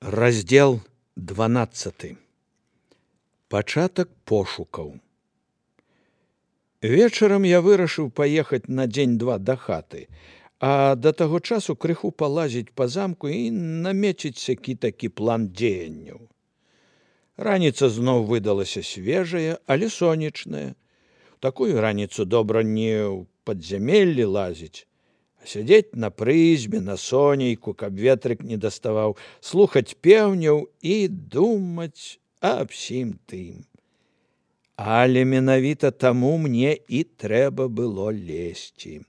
Раздзел 12. Пачатак пошукаў. Вечарам я вырашыў паехаць на дзень-два да хаты, а да таго часу крыху палазіць па замку і намеціць які-такі план дзеянняў. Раніца зноў выдалася свежая, але сонечная. Такую раніцу добра не ў падзямеллі лазіць, а сядзець на прызьбе, на сонейку, каб ветрык не даставаў, слухаць пеўняў і думаць аб сім тым. Але менавіта таму мне і трэба было лезці.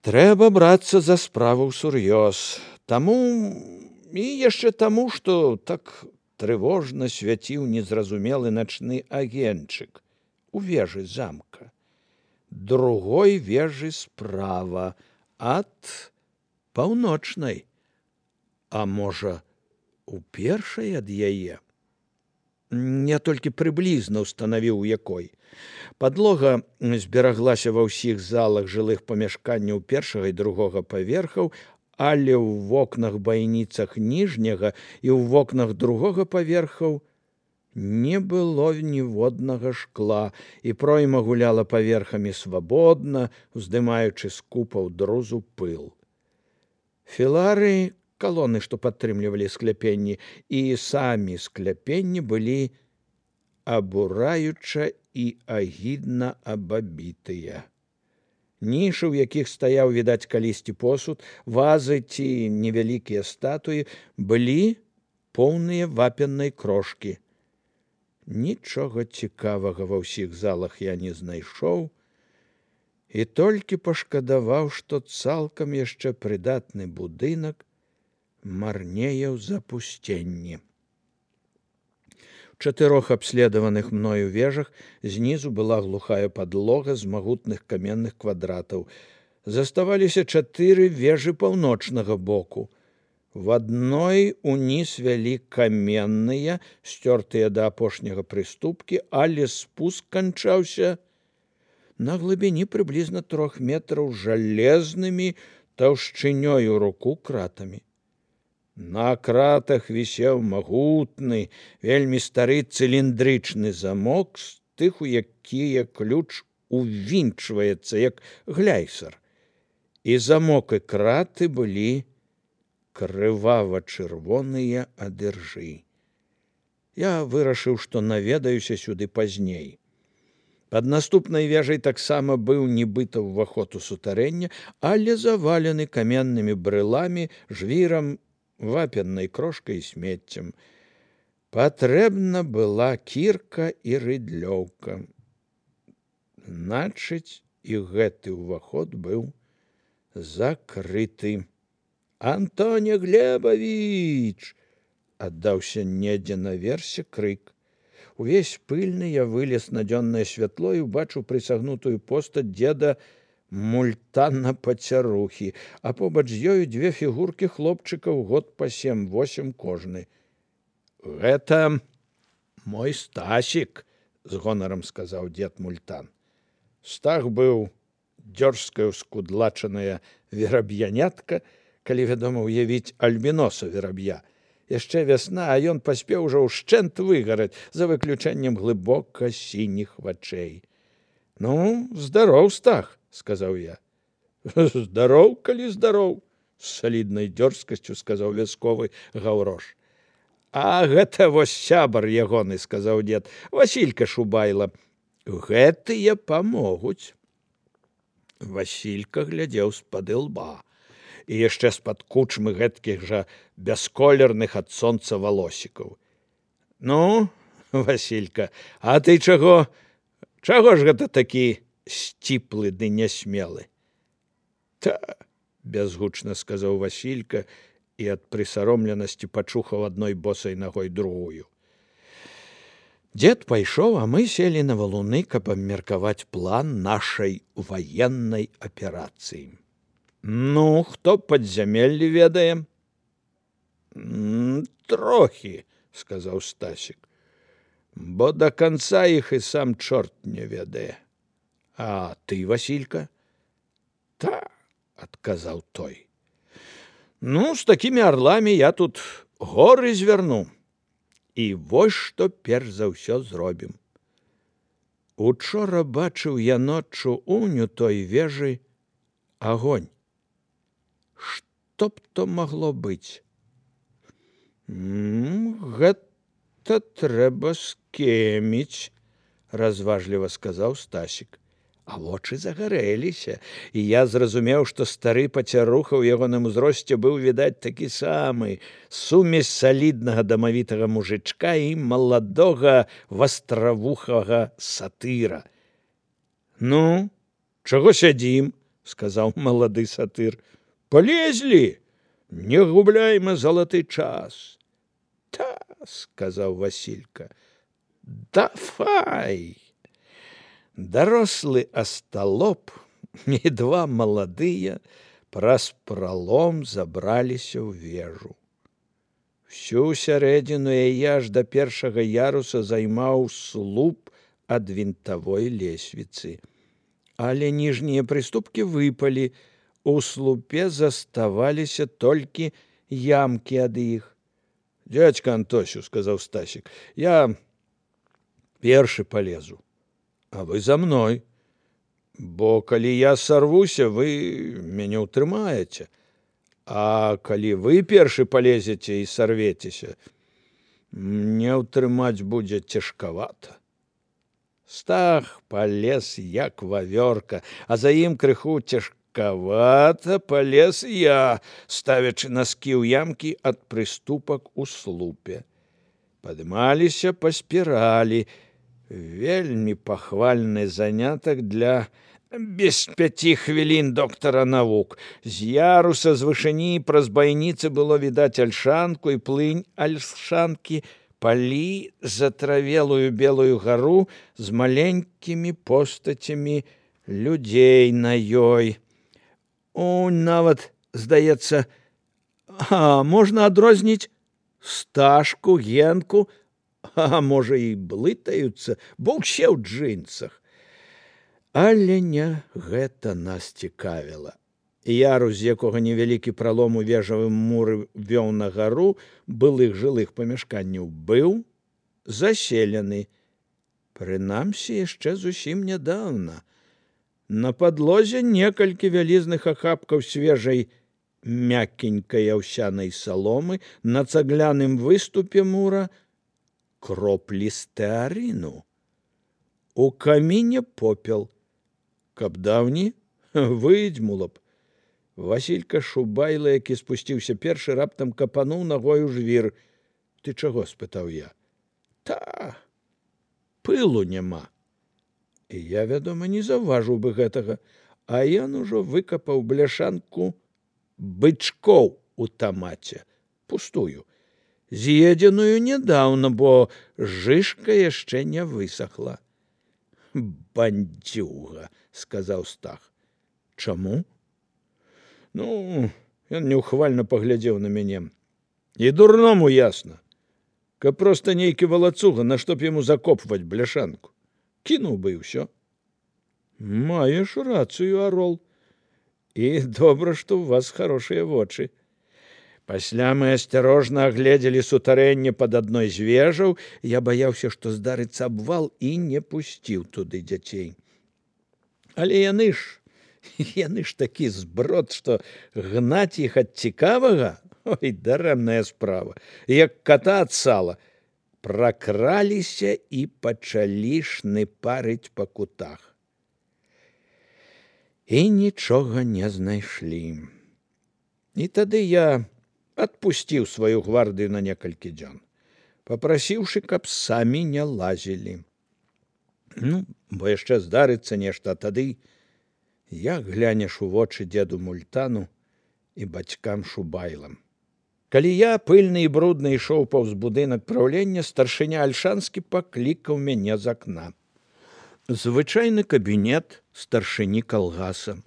Трэба брацца за справу ўсур'ёз. Таму і яшчэ таму, што так трывожна свяціў незразумелы начны агеньчык у вежы замка. Другой вежы справа ад паўночнай, а можа, у першай ад яе. Я толькі прыблізна ўстанавіў, у якой. Падлога збераглася ва ўсіх залах жылых памяшканняў першага і другога паверхаў, але ў вокнах-байніцах ніжняга і ў вокнах другога паверхаў не было ніводнага шкла, і пройма гуляла паверхамі свабодна, уздымаючы з купаў друзу пыл. Філары, калоны, што падтрымлівалі скляпенні, і самі скляпенні былі абураюча і агідна абабітыя. Нішы, у якіх стаяў, відаць, калісьці посуд, вазы ці невялікія статуі, былі поўныя вапеннай крошкі. Нічога цікавага ва ўсіх залах я не знайшоў і толькі пашкадаваў, што цалкам яшчэ прыдатны будынак марнее ў запусценні. У 4 абследаваных мною вежах знізу была глухая падлога з магутных каменных квадратаў. Заставаліся 4 вежы паўночнага боку. В адной уніз вялі каменныя, сцёртыя да апошняга прыступкі, але спуск канчаўся на глыбіні прыблізна 3 метраў жалезнымі таўшчынёю руку кратамі. На кратах вісеў магутны, вельмі стары цыліндрычны замок з тых, у якія ключ увінчваецца, як гляйсар. І замок і краты былі крывава-чырвоныя ад іржы. Я вырашыў, што наведаюся сюды пазней. Пад наступнай вежай таксама быў нібыта ўваход у сутарэнне, але завалены каменнымі брыламі, жвірам, вапеннай крошкай і смеццем. Патрэбна была кірка і рыдлёўка. Значыць, і гэты ўваход быў закрыты. «Антоне Глебович!» — аддаўся недзе наверсе крык. Увесь пыльны я вылез на дзённае святло і убачыў прысагнутую постаць дзеда Мультана Пацярухі, а побач з ёю 2 фігуркі хлопчыкаў год па 7-8 кожны. «Гэта мой Стасік», — з гонарам сказаў дзед Мультан. Стах быў дзёрзкая скудлачаная вераб'янятка, калі, вядома, уявіць альбіноса вераб'я. Яшчэ вясна, а ён паспеў ужо ўшчэнт выгараць, за выключэннем глыбока сініх вачэй. «Ну, здароў, Стах», — сказаў я. «Здароў, калі здароў», — з саліднай дзёрзкасцю сказаў вясковы Гаўрош. «А гэта вось сябар ягоны», — сказаў дзед, — «Васілька Шубайла. Гэтыя памогуць». Васілька глядзеў з-пад ілба. І яшчэ з-пад кучмы гэткіх жа бясколерных ад сонца валосікаў. «Ну, Васілька, а ты чаго ж гэта такі сціплы ды нясмелы?» «Та», — бязгучна сказаў Васілька і ад прысаромленасці пачухаў адной босай нагой другую. Дзед пайшоў, а мы селі на валуны, каб абмеркаваць план нашай ваеннай аперацыі. «Ну, хто падзямеллі ведае?» «Трохі», — сказаў Стасік, «бо да канца іх і сам чорт не ведае». «А ты, Васілька?» «Та», — адказаў той. «Ну, з такімі арлами я тут горы звярну. І вось што перш за ўсё зробім. Учора бачыў я ноччу уню той вежы агонь. Што б то магло быць? Гэта трэба скеміць, разважліва сказаў Стасік. А вочы загарэліся, і я зразумеў, што стары пацяруха ў ягоным узросце быў, відаць, такі самы, сумесь саліднага дамавітага мужычка і маладога вастравухага сатыра. Ну, чаго сядзім, сказаў малады сатыр. Палезлі, не губляйме залаты час. Та, сказаў Васілька, давай. Дарослы асталоп і два маладыя праз пралом забраліся ў вежу. Всю сярэдзіну яе аж да першага яруса займаў слуп ад вінтавой лесвіцы. Але ніжнія прыступкі выпалі, у слупе заставаліся толькі ямкі ад іх. Дядька Антосю, сказаў Стасік, я першы палезу. А вы за мной, бо калі я сарвуся, вы мяне ўтрымаеце. А калі вы першы палезеце і сарвецеся, мне ўтрымаць будзе цяжкавата. Стах палез як вавёрка, а за ім крыху цяжкавата палез я, ставячы наскі ў ямкі ад прыступак у слупе. Падымаліся па спіралі, вельмі пахвальны занятак для без 5 хвілін доктара навук. З яруса з вышыні праз байніцы было відаць альшанку і плынь альшанкі, палі затравелую белую гару з маленькімі постацямі людзей на ёй. Нават, здаецца, можна адрозніць Сташку, Генку, а можа, і блытаюцца, бо ўсе ў джынсах. Але не гэта нас цікавіла. Ярус, з якога невялікі пралом у вежавым муры вёў на гару былых жылых памяшканняў, быў заселены. Прынамсі, яшчэ зусім нядаўна. На падлозе некалькі вялізных ахапкаў свежай мяккенькай аўсянай саломы, на цагляным выступе мура кроплі стэарыну. У каміне попел. Каб даўні, выдзьмула б. Васілька Шубайла, які спусціўся першы, раптам капануў нагою жвір. Ты чаго? — спытаў я. Та, пылу няма. І я, вядома, не заўважыў бы гэтага, а ён ужо выкапаў бляшанку бычкоў у тамаце, пустую, з'едзеную нядаўна, бо жышка яшчэ не высохла. Бандзюга, — сказаў Стах. Чаму? Ну, ён неухвальна паглядзеў на мяне. І дурному ясна. Каб проста нейкі валацуга, на што б яму закопваць бляшанку. Кінуў бы і ўсё. Маеш рацыю, Арол. І добра, што ў вас хорошыя вочы. Пасля мы асцярожна агледзелі сутарэнне пад адной з вежаў. Я баяўся, што здарыцца абвал, і не пусціў туды дзяцей. Але яны ж такі зброд, што гнаць іх ад цікавага, ой, дарэмная справа, як ката ад сала. Пракраліся і пачалі шныпарыць па кутах. І нічога не знайшлі. І тады я адпусціў сваю гвардыю на некалькі дзён, папрасіўшы, каб самі не лазілі. Ну, бо яшчэ здарыцца нешта, а тады як глянеш у вочы дзеду Мультану і бацькам Шубайлам. Калі я, пыльны і брудны, ішоў паўз будынак праўлення, старшыня Альшанскі паклікаў мяне з акна. Звычайны кабінет старшыні калгаса.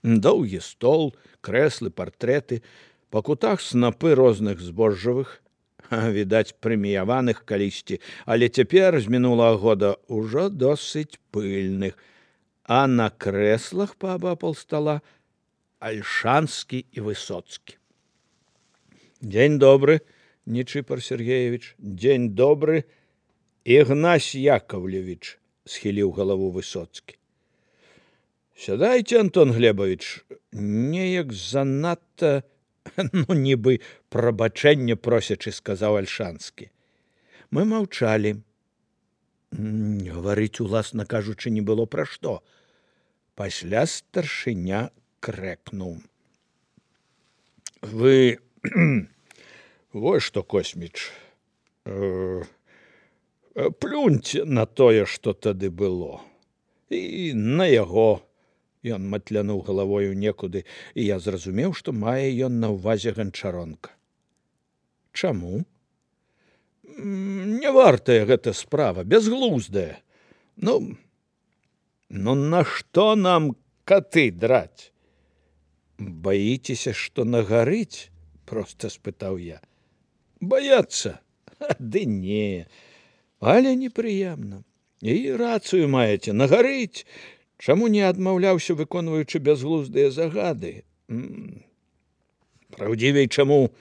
Доўгі стол, крэслы, партрэты, па кутах снапы розных збожжавых, відаць, прэміяваных калісьці, але цяпер, з мінулага года, ужо досыць пыльных, а на крэслах паабапал стала Альшанскі і Высоцкі. Дзень добры, Нечипор Сергеевич. Дзень добры, Ігнась Яковлевич, схіліў галаву Высоцкі. Сядайце, Антон Глебович, неяк занадта, нібы прабачэння просячы, сказаў Альшанскі. Мы маўчалі. Гаварыць, уласна кажучы, не было пра што. Пасля старшыня крэкнуў. Вы вось што, Косміч, плюньце на тое, што тады было. І на яго. Ён матлянуў галавою некуды, і я зразумеў, што мае ён на ўвазе Ганчаронка. Чаму? Не вартая гэта справа, бязглуздая. Ну, на што нам каты драць? Баіцеся, што нагарыць? Проста спытаў я. Баяцца? Ды не, але непрыемна. І рацыю маеце, нагарыць. Чаму не адмаўляўся, выконваючы бязглуздыя загады? Праўдзівей, чаму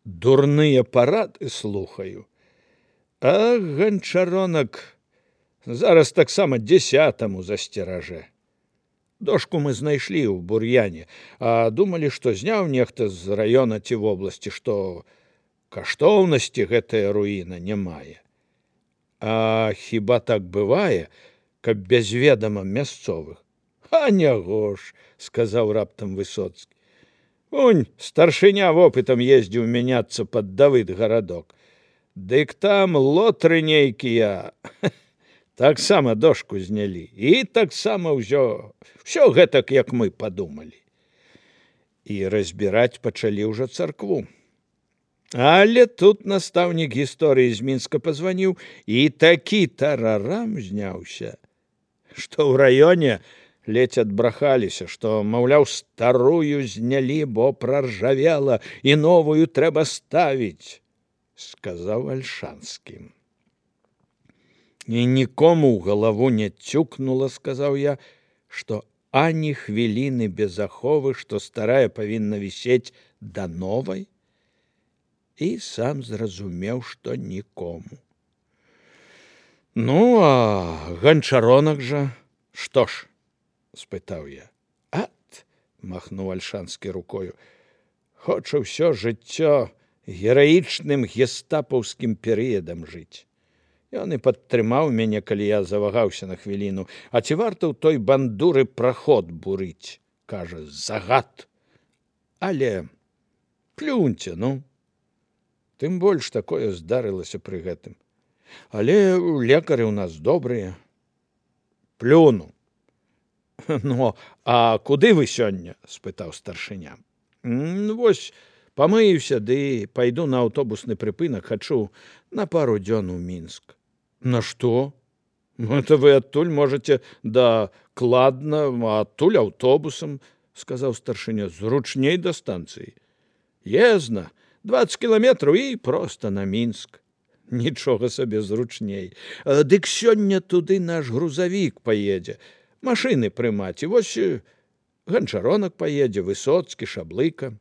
дурныя парады слухаю? А Ганчаронак зараз таксама 10-му засцеражэ. Дошку мы знайшлі ў бур'яне, а думалі, што зняў нехта з раёна ці вобласці, што каштоўнасці гэтая руіна не мае. А хіба так бывае, каб без ведама мясцовых? А няго ж, сказаў раптам Высоцкі. Унь, старшыня вопытам ездзіў мяняцца пад Давыд гарадок. Дык там лотры нейкія таксама дошку знялі. І таксама ўсё гэтак, як мы падумалі. І разбіраць пачалі ўжо царкву. Але тут настаўнік гісторыі з Мінска пазваніў, і такі тарарам зняўся, што ў раёне ледзь адбрахаліся, што, маўляў, старую знялі, бо праржавела, і новую трэба ставіць, сказаў Альшанскі. І нікому ў галаву не цюкнула, сказаў я, што ані хвіліны без аховы, што старая павінна вісець да новай. І сам зразумеў, што нікому. Ну, а Ганчаронак жа, што ж? Спытаў я. Ат, махнуў Альшанскі рукою. Хоча ўсё жыццё гераічным гестапаўскім перыядам жыць. Ён і падтрымаў мяне, калі я завагаўся на хвіліну. А ці варта ў той бандуры праход бурыць? Кажа, загад. Але плюньце, ну. Тым больш такое здарылася пры гэтым. Але лекары ў нас добрыя. Плюну. Ну, а куды вы сёння? Спытаў старшыня. Вось, памыюся, ды пайду на аўтобусны прыпынак, хачу на пару дзён у Мінск. На што? Это вы адтуль можаце да Кладна, а адтуль аўтобусам, сказаў старшыня, зручней да станцыі. Езна, 20 кіламетраў і проста на Мінск. Нічога сабе зручней. Дык сёння туды наш грузавік паедзе. Машыны прымаць. І вось Ганчаронак паедзе, Высоцкі, Шаблыка.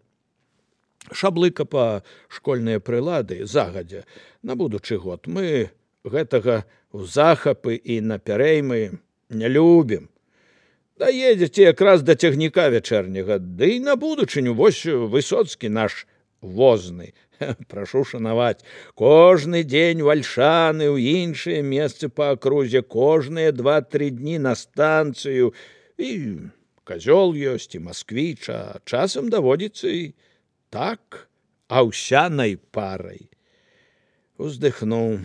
Шаблыка па школьныя прылады загадзя на будучы год. Мы гэтага ў захапы і на пярэймы не любім. Даедзеце якраз да цягніка вячэрняга, ды і на будучыню вось Высоцкі наш возны. Прашу шанаваць. Кожны дзень вальшаны ў іншыя месцы па акрузе, кожныя 2-3 дні на станцыю. І казёл ёсць, і масквіч, а часам даводзіцца і так, аўсянай парай. Уздыхнуў.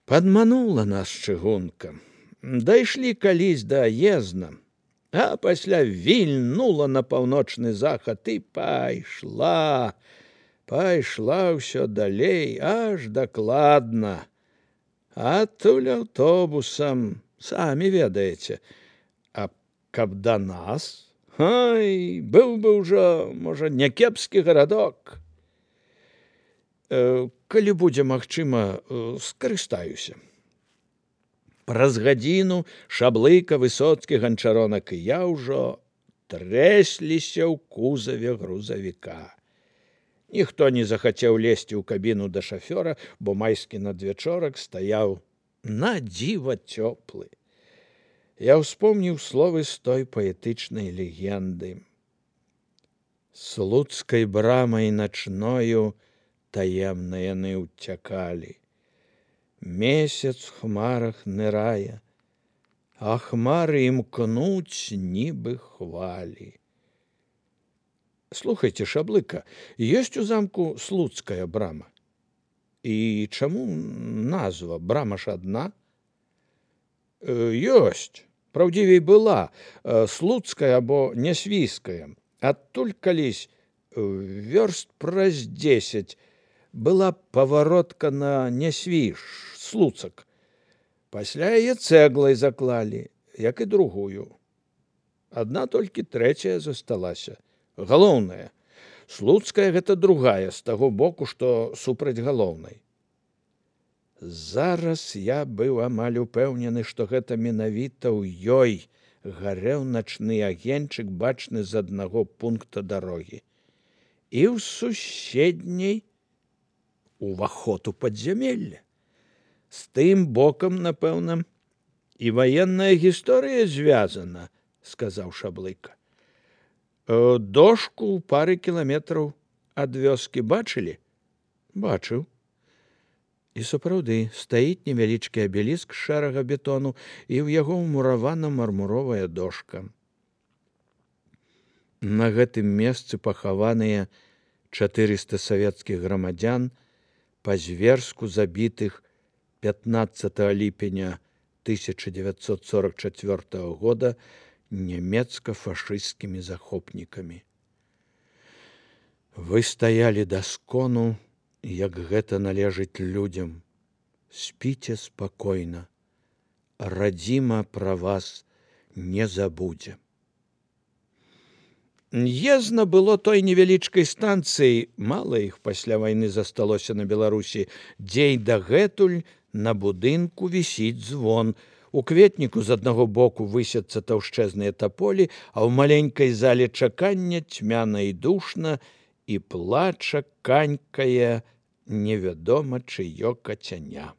Падманула нас чыгунка. Дайшлі калісь да Езна, а пасля вільнула на паўночны захад і пайшла ўсё далей, аж дакладна. Адтуль аўтобусам, самі ведаеце. А каб да нас, ай, быў бы ўжо, можа, някепскі гарадок. Калі будзе магчыма, скарыстаюся. Праз гадзіну Шаблыка, Высоцкі, Ганчаронак і я ўжо трэсліся ў кузаве грузавіка. Ніхто не захацеў лезці ў кабіну да шафёра, бо майскі надвячорак стаяў на дзіва цёплы. Я ўспомніў словы з той паэтычнай легенды. Слуцкай брамай начною таемна яны ўцякалі. Месяц в хмарах нырае, а хмары імкнуць нібы хвалі. Слухайте, Шаблыка, ёсць у замку Слуцкая брама? І чаму назва? Брама ж адна? Ёсць. Праўдзівей была Слуцкая або Нясвійская. Адтуль калісь вёрст праз 10 была паваротка на Нясвіж, Слуцак. Пасля яе цэглай заклалі, як і другую. Адна толькі трэцяя засталася. Галоўная. Слуцкая гэта другая, з таго боку, што супраць галоўнай. Зараз я быў амаль упэўнены, што гэта менавіта ў ёй гарэў начны агеньчык, бачны з аднаго пункта дарогі. І ў суседняй уваход у падзямелле. З тым бокам, напэўна, і ваенная гісторыя звязана, сказаў Шаблыка. Дошку ў пары кіламетраў ад вёскі бачылі? Бачыў. І сапраўды стаіць невялічкі абеліск шэрага бетону, і ў яго ўмуравана мармуровая дошка. На гэтым месцы пахаваныя 400 савецкіх грамадзян, па-зверску забітых 15 ліпеня 1944 года нямецка-фашысцкімі захопнікамі. Вы стаялі да скону, як гэта належыць людзям. Спіце спакойна. Радзіма пра вас не забудзе. Езна было той невялічкай станцыі, мала іх пасля вайны засталося на Беларусі, дзе і дагэтуль на будынку вісіць звон. У кветніку з аднаго боку высяцца таўшчэзныя таполі, а ў маленькай зале чакання цьмяна і душна, і плача канькае невядома чыё кацяня.